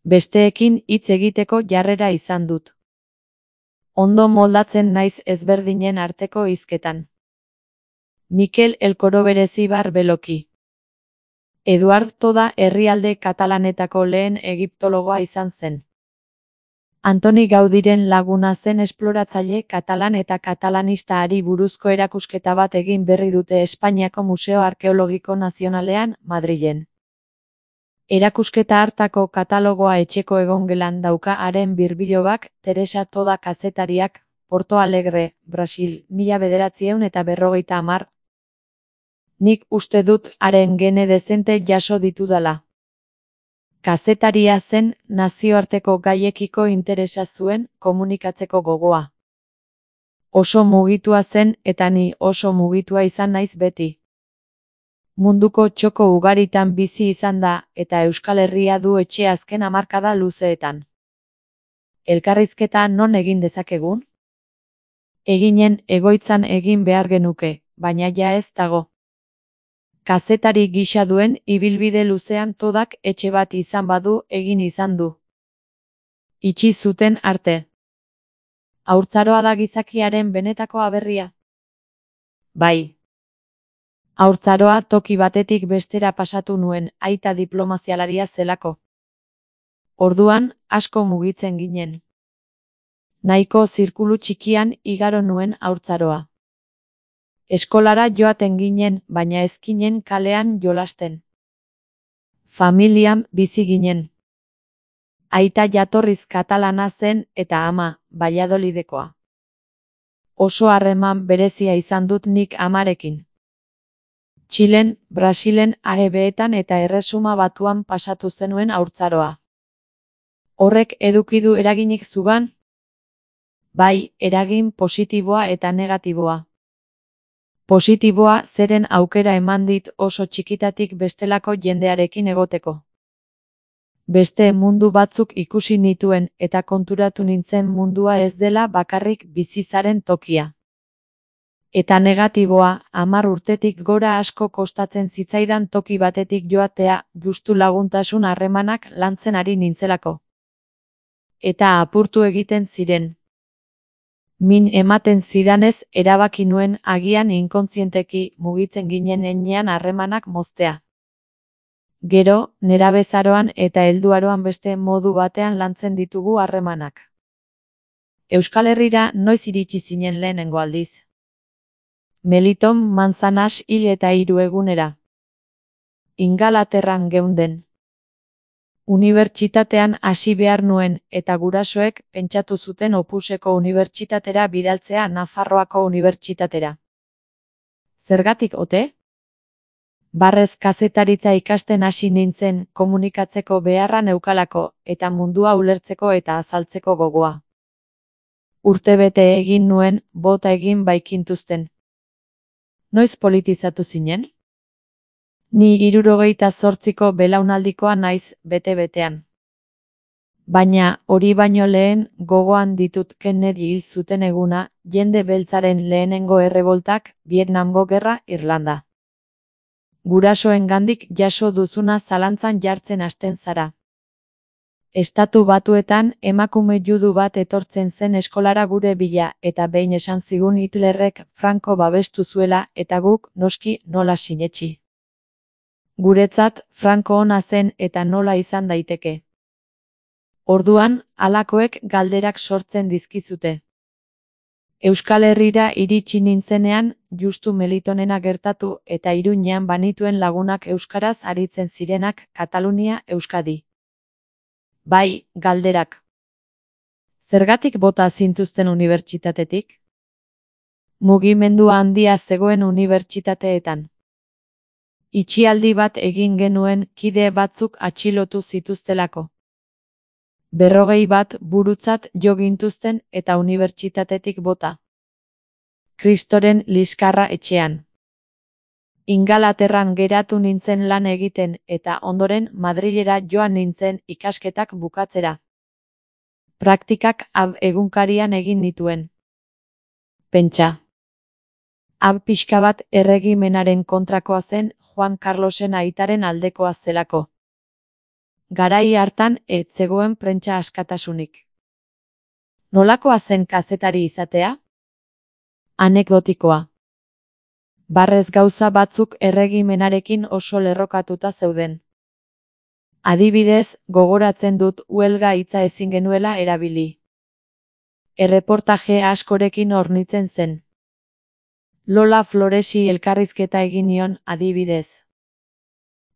Besteekin hitz egiteko jarrera izan dut. Ondo moldatzen naiz ezberdinen arteko hizketan. Mikel Elkoro Berezibar Beloki. Eduard Toda herrialde katalanetako lehen egiptologoa izan zen. Antoni Gaudiren laguna zen esploratzaile katalan eta katalanista-ari buruzko erakusketa bat egin berri dute Espainiako Museo Arkeologiko Nazionalean, Madrilen. Erakusketa hartako katalogoa etxeko egongelan dauka haren birbilobak, Teresa Toda kazetariak, Porto Alegre, Brasil, 1950. Nik uste dut haren gene dezente jaso ditudala. Kazetaria zen, nazioarteko gaiekiko interesa zuen, komunikatzeko gogoa. Oso mugitua zen eta ni oso mugitua izan naiz beti. Munduko txoko ugaritan bizi izan da eta Euskal Herria du etxe azken hamarkada luzeetan. Elkarrizketa non egin dezakegun? Eginen egoitzan egin behar genuke, baina ja ez dago. Kazetari gisa duen ibilbide luzean Todak etxe bat izan badu egin izan du. Itxi zuten arte. Haurtzaroa da gizakiaren benetako aberria. Bai. Haurtzaroa toki batetik bestera pasatu nuen, aita diplomazialaria zelako. Orduan, asko mugitzen ginen. Nahiko zirkulu txikian igaro nuen haurtzaroa. Eskolara joaten ginen, baina ez ginen kalean jolasten. Familian bizi ginen. Aita jatorriz katalana zen eta ama, Valladolidekoa. Oso harreman berezia izan dut nik amarekin. Txilen, Brasilen, AEB-etan eta Erresuma Batuan pasatu zenuen haurtzaroa. Horrek eduki du eraginik zugan? Bai, eragin positiboa eta negatiboa. Positiboa zeren aukera eman dit oso txikitatik bestelako jendearekin egoteko. Beste mundu batzuk ikusi nituen eta konturatu nintzen mundua ez dela bakarrik bizizaren tokia. Eta negatiboa, 10 urtetik gora asko kostatzen zitzaidan toki batetik joatea, justu laguntasun harremanak lantzen ari nintzelako. Eta apurtu egiten ziren. Min ematen zidanez erabaki nuen agian inkontzienteki mugitzen ginen heinean harremanak moztea. Gero, nerabezaroan eta helduaroan beste modu batean lantzen ditugu harremanak. Euskal Herrira noiz iritsi zinen lehenengo aldiz? Meliton Manzanas hil eta 3 egunera. Ingalaterran geunden. Unibertsitatean hasi behar nuen eta gurasoek pentsatu zuten Opuseko unibertsitatera bidaltzea Nafarroako unibertsitatera. Zergatik ote? Barrez kazetaritza ikasten hasi nintzen komunikatzeko beharra neukalako eta mundua ulertzeko eta azaltzeko gogoa. Urtebete egin nuen, bota egin baikintuzten. Noiz politizatu zinen? Ni 78ko belaunaldikoa naiz bete-betean. Baina, hori baino lehen, gogoan ditut Kennedy hil zuten eguna, jende beltzaren lehenengo erreboltak, Vietnamgo gerra, Irlanda. Gurasoengandik jaso duzuna zalantzan jartzen hasten zara. Estatu Batuetan emakume judu bat etortzen zen eskolara gure bila eta behin esan zigun Hitlerrek Franco babestu zuela eta guk noski nola sinetsi. Guretzat Franco ona zen eta nola izan daiteke. Orduan, halakoek galderak sortzen dizkizute. Euskal Herrira iritsi nintzenean, justu Melitonena gertatu eta Iruñean banituen lagunak euskaraz aritzen zirenak, Katalunia, Euskadi. Bai, galderak. Zergatik bota zintuzten unibertsitatetik? Mugimendu handia zegoen unibertsitateetan. Itxialdi bat egin genuen kide batzuk atxilotu zituztelako. 40 bat burutzat jo gintuzten eta unibertsitatetik bota. Kristoren liskarra etxean. Ingalaterran geratu nintzen lan egiten eta ondoren Madrilera joan nintzen ikasketak bukatzera. Praktikak AB egunkarian egin nituen. Pentsa. AB pixka bat erregimenaren kontrakoa zen Juan Carlosen aitaren aldekoa zelako. garai hartan ez zegoen prentsa askatasunik. Nolakoa zen kazetari izatea? Anekdotikoa. Barrez gauza batzuk erregimenarekin oso lerrokatuta zeuden. Adibidez, gogoratzen dut huelga hitza ezin genuela erabili. Erreportaje askorekin hornitzen zen. Lola Floresi elkarrizketa egin nion, adibidez.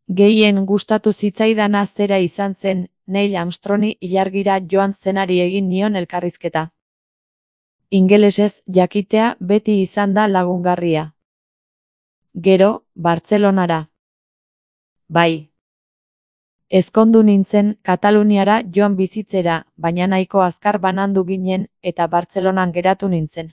Gehien gustatu zitzaidana zera izan zen, Neil Armstrongi ilargira joan zenari egin nion elkarrizketa. Ingelesez jakitea beti izan da lagungarria. Gero, Bartzelonara. Bai. Ezkondu nintzen Kataluniara joan bizitzera, baina nahiko azkar banandu ginen eta Bartzelonan geratu nintzen.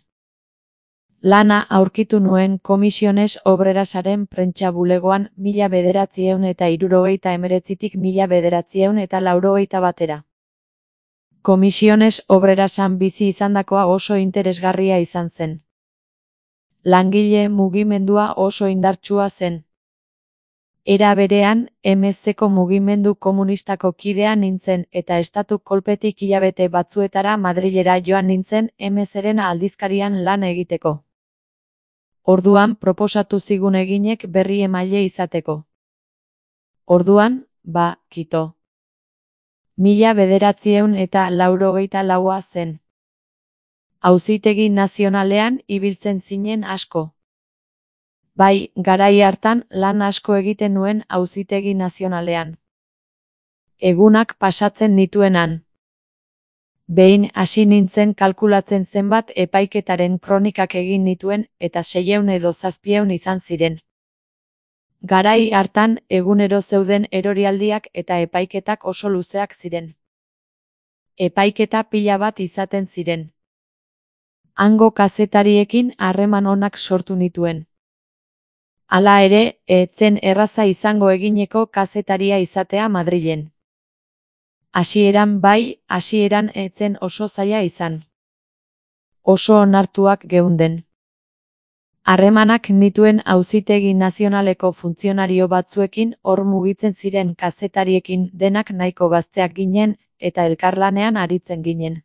Lana aurkitu nuen Komisiones Obrerasaren prentsa bulegoan 1979tik 1981 Komisiones Obrerasan bizi izandakoa oso interesgarria izan zen. Langile mugimendua oso indartsua zen. Era berean, MZko mugimendu komunistako kidea nintzen eta estatu kolpetik hilabete batzuetara Madrilera joan nintzen MZren aldizkarian lan egiteko. Orduan proposatu zigun eginek berri emaile izateko. Orduan, kito. 1984 zen. Auzitegi nazionalean ibiltzen zinen asko. Bai, garai hartan lan asko egiten nuen Auzitegi Nazionalean. Egunak pasatzen nituenan. Behin hasi nintzen kalkulatzen zenbat epaiketaren kronikak egin nituen eta 600 edo 700 izan ziren. Garai hartan egunero zeuden erorialdiak eta epaiketak oso luzeak ziren. Epaiketa pila bat izaten ziren. Hango kazetariekin harreman onak sortu nituen. Hala ere, ez zen erraza izango egineko kazetaria izatea Madrilen. Hasieran ez zen oso zaila izan. Oso onartuak geunden. Harremanak nituen Auzitegi Nazionaleko funtzionario batzuekin hor mugitzen ziren kazetariekin denak nahiko gazteak ginen eta elkarlanean aritzen ginen.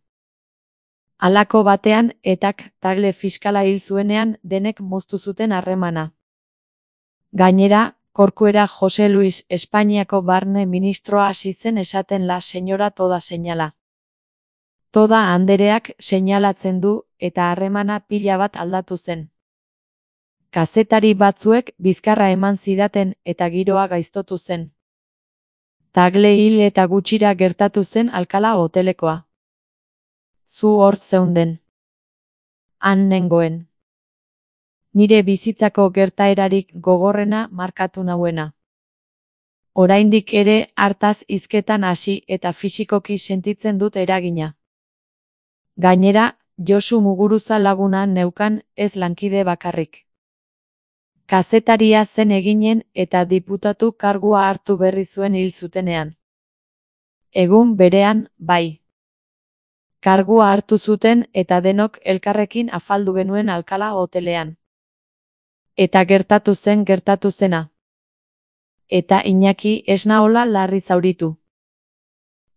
Halako batean etak Tagle fiskala hil zuenean denek moztu zuten harremana. Gainera, Corcuera Jose Luis Espainiako barne ministroa hasi zen esaten la señora toda señala. Toda andereak seinalatzen du eta harremana pila bat aldatu zen. Kazetari batzuek bizkarra eman zidaten eta giroa gaiztotu zen. Tagle hil eta gutxira gertatu zen Alkala hotelekoa. Zu hor zeunden. Han nengoen. Nire bizitzako gertaerarik gogorrena markatu nauena. Oraindik ere hartaz hizketan hasi eta fisikoki sentitzen dut eragina. Gainera, Josu Muguruza laguna neukan ez lankide bakarrik. Kazetaria zen eginen eta diputatu kargua hartu berri zuen hil zutenean. Egun berean, bai. Kargua hartu zuten eta denok elkarrekin afaldu genuen Alkala hotelean. Eta gertatu zena. Eta Iñaki ez naola larri zauritu.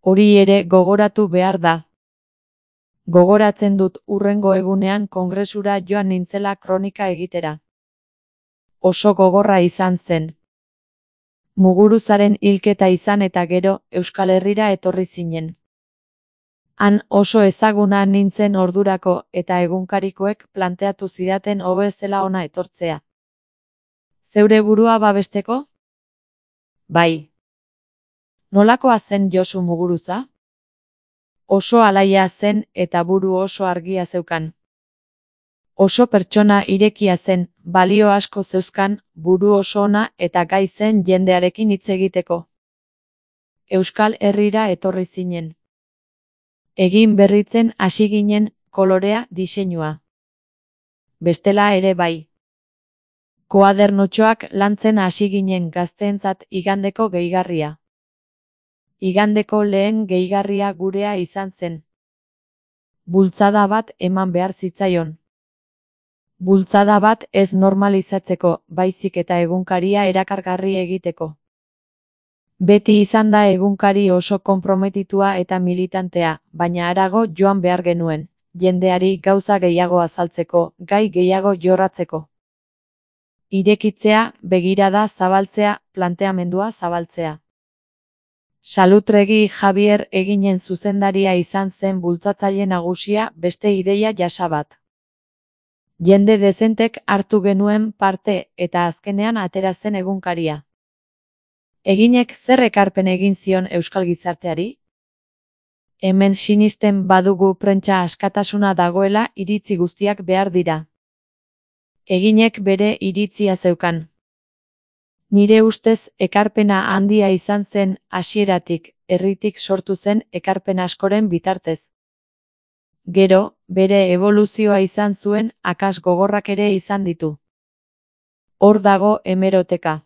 Hori ere gogoratu behar da. Gogoratzen dut hurrengo egunean kongresura joan nintzela kronika egitera. Oso gogorra izan zen. Muguruzaren hilketa izan eta gero Euskal Herrira etorri zinen. Han oso ezaguna nintzen ordurako eta egunkarikoek planteatu zidaten hobe zela ona etortzea. Zeure burua babesteko? Bai. Nolakoa zen Josu Muguruza? Oso alaia zen eta buru oso argia zeukan. Oso pertsona irekia zen, balio asko zeuzkan, buru oso ona eta gai zen jendearekin hitz egiteko. Euskal Herrira etorri zinen. Egin berritzen hasi ginen kolorea diseinua. Bestela ere bai. Koadernotxoak lantzen hasi ginen gazteentzat igandeko gehigarria. Igandeko lehen gehigarria gurea izan zen. Bultzada bat eman behar zitzaion. Bultzada bat ez normalizatzeko, baizik eta egunkaria erakargarri egiteko. Beti izan da egunkari oso konprometitua eta militantea, baina harago joan behar genuen, jendeari gauza gehiago azaltzeko, gai gehiago jorratzeko. Irekitzea, begirada zabaltzea, planteamendua zabaltzea. Salutregi Javier Eginen zuzendaria izan zen bultzatzaile nagusia, beste ideia jasa bat. Jende dezentek hartu genuen parte eta azkenean atera zen egunkaria. Eginek zer ekarpen egin zion euskal gizarteari? Hemen sinisten badugu prentsa askatasuna dagoela, iritzi guztiak behar dira. Eginek bere iritzia zeukan. Nire ustez ekarpena handia izan zen hasieratik, herritik sortu zen ekarpen askoren bitartez. Gero, bere eboluzioa izan zuen, akats gogorrak ere izan ditu. Hor dago hemeroteka.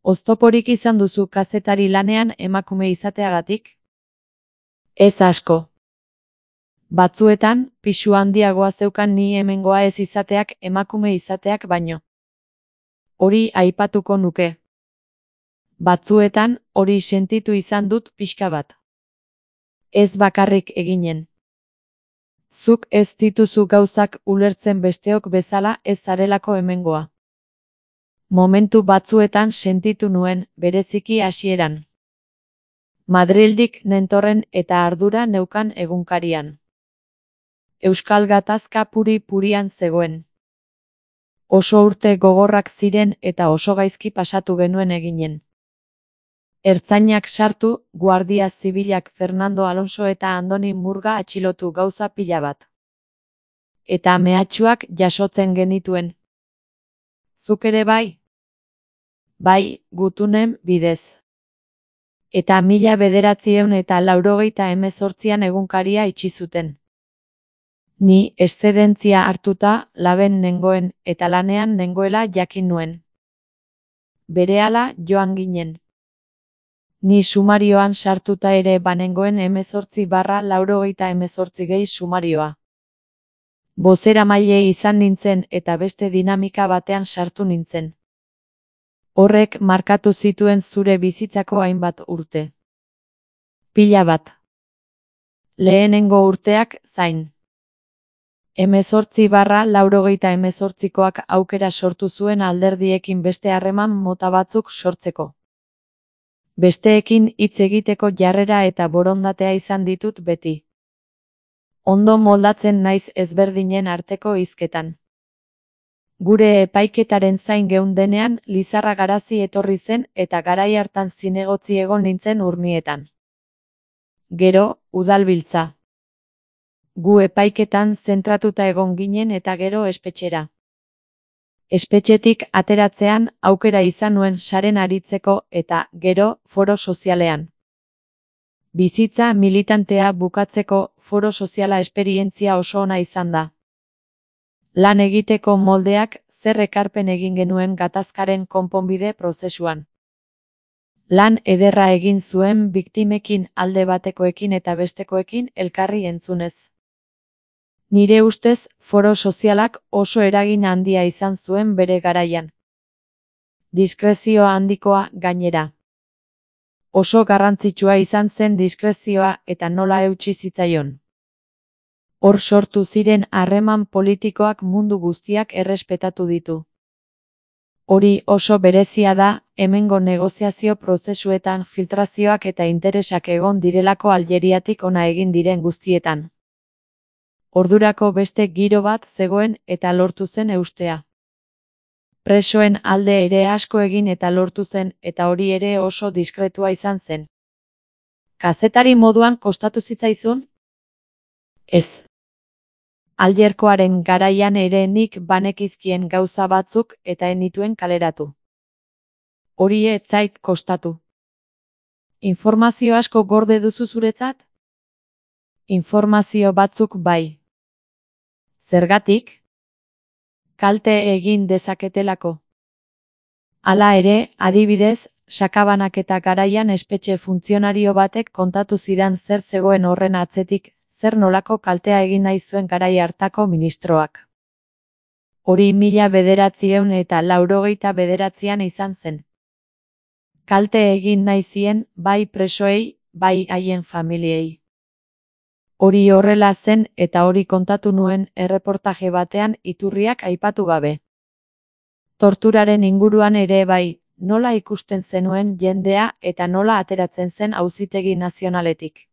Oztoporik izan duzu kazetari lanean emakume izateagatik? Ez asko. Batzuetan, pisu handiagoa zeukan ni hemengoa ez izateak emakume izateak baino. Hori aipatuko nuke. Batzuetan, hori sentitu izan dut pixka bat. Ez bakarrik Eginen. Zuk ez dituzu gauzak ulertzen besteok bezala ez zarelako hemengoa. Momentu batzuetan sentitu nuen, bereziki hasieran. Madrildik nentorren eta ardura neukan egunkarian. Euskal gatazka puri-purian zegoen. Oso urte gogorrak ziren eta oso gaizki pasatu genuen Eginen. Ertzainak sartu, Guardia Zibilak Fernando Alonso eta Andoni Murga atxilotu gauza pila bat. Eta mehatxuak jasotzen genituen. Zuk ere bai? Bai, gutunen bidez. Eta 1988an egunkaria itxi zuten. Ni eszedentzia hartuta laben nengoen eta lanean nengoela jakin nuen. Berehala joan ginen. Ni sumarioan sartuta ere banengoen 18/88 gehi sumarioa. Bozeramaile izan nintzen eta beste dinamika batean sartu nintzen. Horrek markatu zituen zure bizitzako hainbat urte. Pila bat. Lehenengo urteak zain. 18/88koak aukera sortu zuen alderdiekin beste harreman mota batzuk sortzeko. Besteekin hitz egiteko jarrera eta borondatea izan ditut beti. Ondo moldatzen naiz ezberdinen arteko hizketan. Gure epaiketaren zain geundenean Lizarra Garazi etorri zen eta garai hartan zinegotzi egon nintzen Urnietan. Gero, udalbiltza. Gu epaiketan zentratuta egon ginen eta gero espetxera. Espetxetik ateratzean aukera izan nuen saren aritzeko eta, gero, foro sozialean. Bizitza militantea bukatzeko foro soziala esperientzia oso ona izan da. Lan egiteko moldeak zer ekarpen egin genuen gatazkaren konponbide prozesuan. Lan ederra egin zuen biktimekin alde batekoekin eta bestekoekin elkarri entzunez. Nire ustez, foro sozialak oso eragin handia izan zuen bere garaian. Diskrezio handikoa gainera. Oso garrantzitsua izan zen diskrezioa eta nola eutsi zitzaion. Hor sortu ziren harreman politikoak mundu guztiak errespetatu ditu. Hori oso berezia da, hemengo negoziazio prozesuetan filtrazioak eta interesak egon direlako Aljeriatik hona egin diren guztietan. Ordurako beste giro bat zegoen eta lortu zen eustea. Presoen alde ere asko egin eta lortu zen eta hori ere oso diskretua izan zen. Kazetari moduan kostatu zitzaizun? Ez. Aljerkoaren garaian ere nik banekizkien gauza batzuk eta ez nituen kaleratu. Hori ez zait kostatu. Informazio asko gorde duzu zuretzat? Informazio batzuk bai. Zergatik? Kalte egin dezaketelako. Hala ere, adibidez, sakabanaketa garaian espetxe funtzionario batek kontatu zidan zer zegoen horren atzetik, zer nolako kaltea egin nahi zuen garai hartako ministroak. Hori 1989an izan zen. Kalte egin nahi zien, bai presoei, bai haien familiei. Hori horrela zen eta hori kontatu nuen erreportaje batean iturriak aipatu gabe. Torturaren inguruan ere bai, nola ikusten zenuen jendea eta nola ateratzen zen Auzitegi Nazionaletik.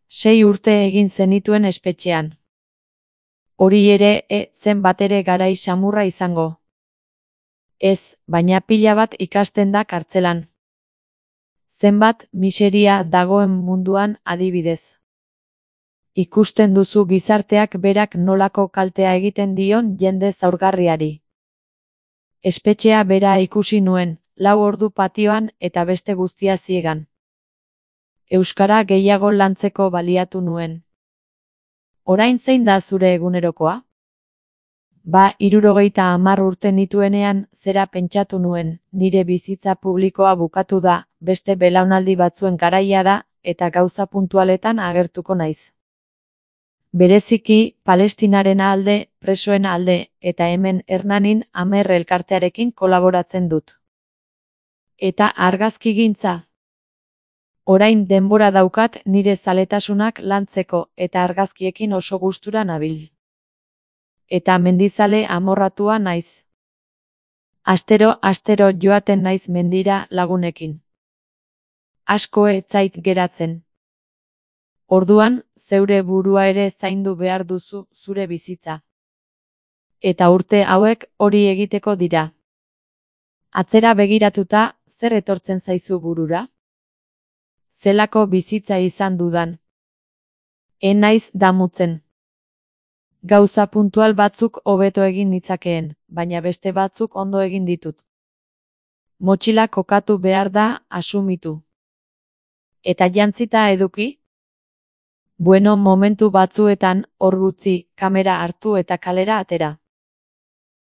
6 urte egin zenituen espetxean. Hori ere zen batere garai samurra izango. Ez, baina pila bat ikasten da kartzelan. Zenbat miseria dagoen munduan adibidez. Ikusten duzu gizarteak berak nolako kaltea egiten dion jende zaurgarriari. Espetxea bera ikusi nuen, 4 ordu patioan eta beste guztia ziegan. Euskara gehiago lantzeko baliatu nuen. Orain zein da zure egunerokoa? Ba, 70 urte nituenean zera pentsatu nuen, nire bizitza publikoa bukatu da, beste belaunaldi batzuen garaia da, eta gauza puntualetan agertuko naiz. Bereziki, Palestinaren alde, presoen alde, eta hemen Hernanin Amer elkartearekin kolaboratzen dut. Eta argazkigintza. Orain denbora daukat nire zaletasunak lantzeko eta argazkiekin oso gustura nabil. Eta mendizale amorratua naiz. Astero joaten naiz mendira lagunekin. Asko ez zait geratzen. Orduan, zeure burua ere zaindu behar duzu zure bizitza. Eta urte hauek hori egiteko dira. Atzera begiratuta, zer etortzen zaizu burura? Zelako bizitza izan dudan. Naiz damutzen. Gauza puntual batzuk hobeto egin nitzakeen, baina beste batzuk ondo egin ditut. Motxila kokatu behar da, asumitu. Eta jantzita eduki? Bueno, momentu batzuetan, hor utzi, kamera hartu eta kalera atera.